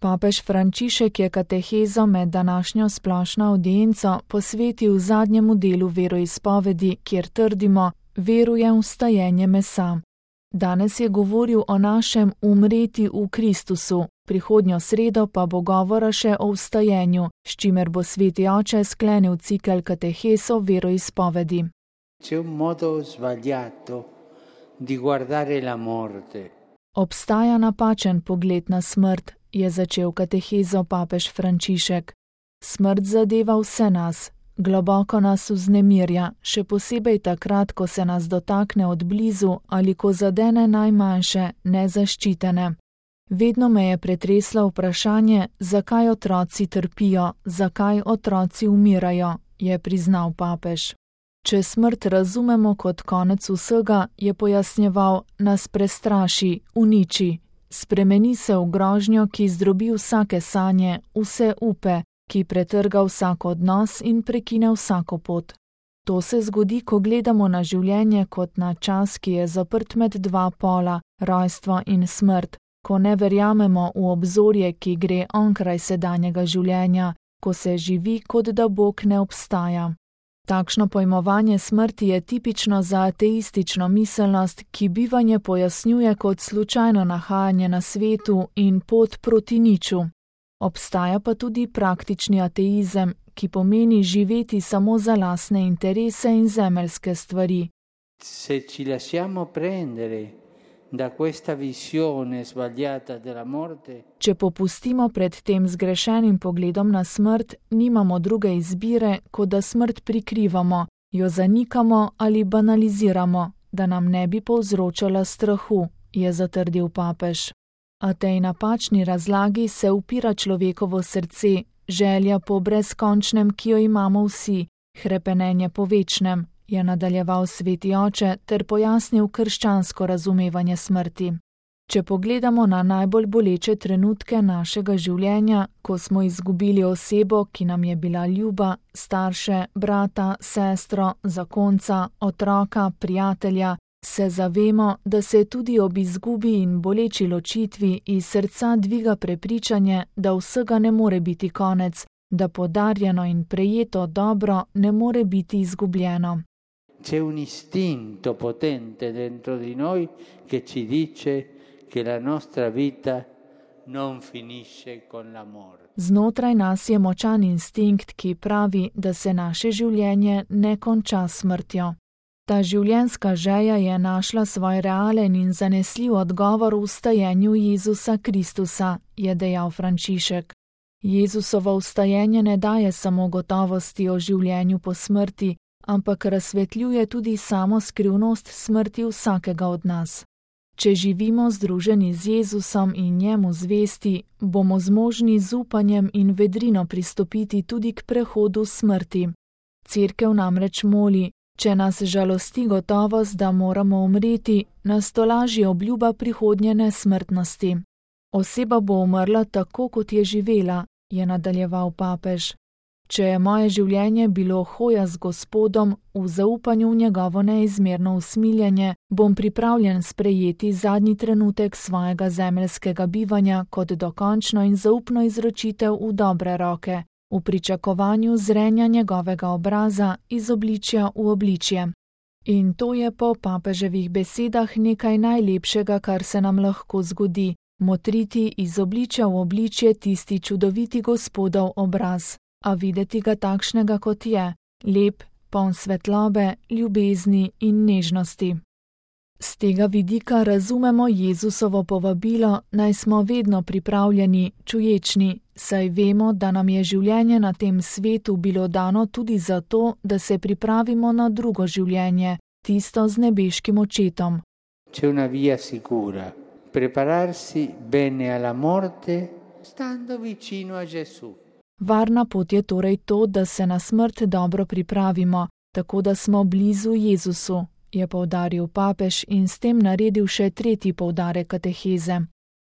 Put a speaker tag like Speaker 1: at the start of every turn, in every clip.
Speaker 1: Papež Frančišek je katehezo med današnjo splošno avdienco posvetil zadnjemu delu veroizpovedi, kjer trdimo: verujem v vstajenje mesa. Danes je govoril o našem umreti v Kristusu, prihodnjo sredo pa bo govora še o vstajenju, s čimer bo Sveti Oče sklenil cikel katehes o veroizpovedi. Obstaja napačen pogled na smrt, je začel katehezo papež Frančišek. Smrt zadeva vse nas, globoko nas vznemirja, še posebej takrat, ko se nas dotakne od blizu ali ko zadene najmanjše, nezaščitene. Vedno me je pretreslo vprašanje, zakaj otroci trpijo, zakaj otroci umirajo, je priznal papež. Če smrt razumemo kot konec vsega, je pojasnjeval, nas prestraši, uniči. Spremeni se v grožnjo, ki zdrobi vsake sanje, vse upe, ki pretrga vsak odnos in prekine vsako pot. To se zgodi, ko gledamo na življenje kot na čas, ki je zaprt med dva pola, rojstvo in smrt, ko ne verjamemo v obzorje, ki gre onkraj sedanjega življenja, ko se živi, kot da Bog ne obstaja. Takšno pojmovanje smrti je tipično za ateistično miselnost, ki bivanje pojasnjuje kot slučajno nahajanje na svetu in pot proti niču. Obstaja pa tudi praktični ateizem, ki pomeni živeti samo za lastne interese in zemeljske stvari.
Speaker 2: Se ci lasciamo prendere da questa visione sbagliata della morte.
Speaker 1: Če popustimo pred tem zgrešenim pogledom na smrt, nimamo druge izbire, kot da smrt prikrivamo, jo zanikamo ali banaliziramo, da nam ne bi povzročala strahu, je zatrdil papež. A tej napačni razlagi se upira človekovo srce, želja po brezkončnem, ki jo imamo vsi, hrepenenje po večnem, je nadaljeval Sveti Oče ter pojasnil krščansko razumevanje smrti. Če pogledamo na najbolj boleče trenutke našega življenja, ko smo izgubili osebo, ki nam je bila ljuba, starše, brata, sestro, zakonca, otroka, prijatelja, se zavemo, da se tudi ob izgubi in boleči ločitvi iz srca dviga prepričanje, da vsega ne more biti konec, da podarjeno in prejeto dobro ne more biti izgubljeno.
Speaker 2: C'è un istinto potente dentro di noi che ci dice che la nostra vita non finisce con la morte.
Speaker 1: Znotraj nas je močan instinkt, ki pravi, da se naše življenje ne konča s smrtjo. Ta življenjska želja je našla svoj realen in zanesljiv odgovor v vstajenju Jezusa Kristusa, je dejal Frančišek. Jezusovo vstajenje ne daje samo gotovosti o življenju po smrti, ampak razsvetljuje tudi samo skrivnost smrti vsakega od nas. Če živimo združeni z Jezusom in njemu zvesti, bomo zmožni z upanjem in vedrino pristopiti tudi k prehodu smrti. Cerkev namreč moli, če nas žalosti gotovost, da moramo umreti, nas tolaži obljuba prihodnje nesmrtnosti. Oseba bo umrla tako, kot je živela, je nadaljeval papež. Če je moje življenje bilo hoja z Gospodom, v zaupanju v njegovo neizmerno usmiljenje, bom pripravljen sprejeti zadnji trenutek svojega zemeljskega bivanja kot dokončno in zaupno izročitev v dobre roke, v pričakovanju zrenja njegovega obraza iz obličja v obličje. In to je po papeževih besedah nekaj najlepšega, kar se nam lahko zgodi, motriti iz obličja v obličje tisti čudoviti Gospodov obraz. A videti ga takšnega, kot je, lep, poln svetlobe, ljubezni in nežnosti. Z tega vidika razumemo Jezusovo povabilo, naj smo vedno pripravljeni, čuječni, saj vemo, da nam je življenje na tem svetu bilo dano tudi zato, da se pripravimo na drugo življenje, tisto z nebeškim očetom.
Speaker 2: C'è una via sicura, prepararsi bene alla morte, stando vicino a Gesù.
Speaker 1: Varna pot je torej to, da se na smrt dobro pripravimo, tako da smo blizu Jezusu, je poudaril papež in s tem naredil še tretji poudarek kateheze.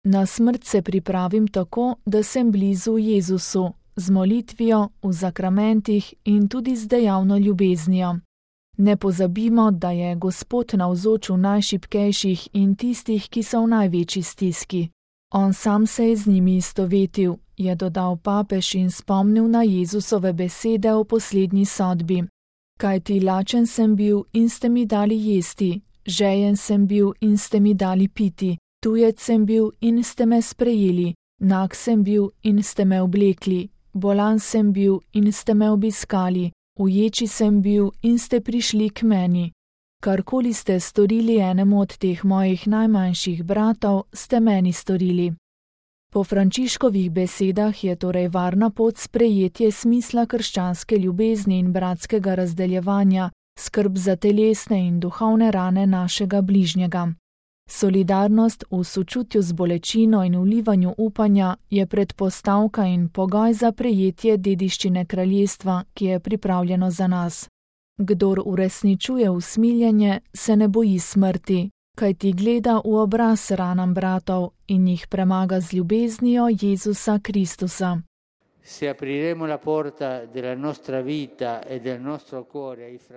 Speaker 1: Na smrt se pripravim tako, da sem blizu Jezusu, z molitvijo, v zakramentih in tudi z dejavno ljubeznijo. Ne pozabimo, da je Gospod navzoč v najšibkejših in tistih, ki so v največji stiski. On sam se je z njimi istovetil, je dodal papež in spomnil na Jezusove besede o poslednji sodbi. Kajti lačen sem bil in ste mi dali jesti, žejen sem bil in ste mi dali piti, tujec sem bil in ste me sprejeli, nag sem bil in ste me oblekli, bolan sem bil in ste me obiskali, uječi sem bil in ste prišli k meni. Karkoli ste storili enemu od teh mojih najmanjših bratov, ste meni storili. Po Frančiškovih besedah je torej varna pot sprejetje smisla krščanske ljubezni in bratskega razdeljevanja, skrb za telesne in duhovne rane našega bližnjega. Solidarnost v sočutju z bolečino in vlivanju upanja je predpostavka in pogoj za prejetje dediščine kraljestva, ki je pripravljeno za nas. Kdor uresničuje usmiljenje, se ne boji smrti, kajti gleda v obraz ranam bratov in jih premaga z ljubeznijo Jezusa Kristusa.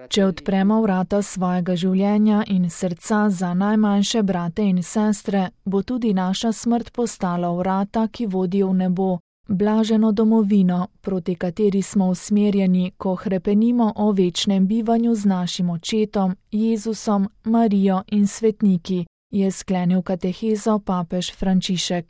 Speaker 1: Če odpremo vrata svojega življenja in srca za najmanjše brate in sestre, bo tudi naša smrt postala vrata, ki vodijo v nebo, blaženo domovino, proti kateri smo usmerjeni, ko hrepenimo o večnem bivanju z našim očetom, Jezusom, Marijo in svetniki, je sklenil katehezo papež Frančišek.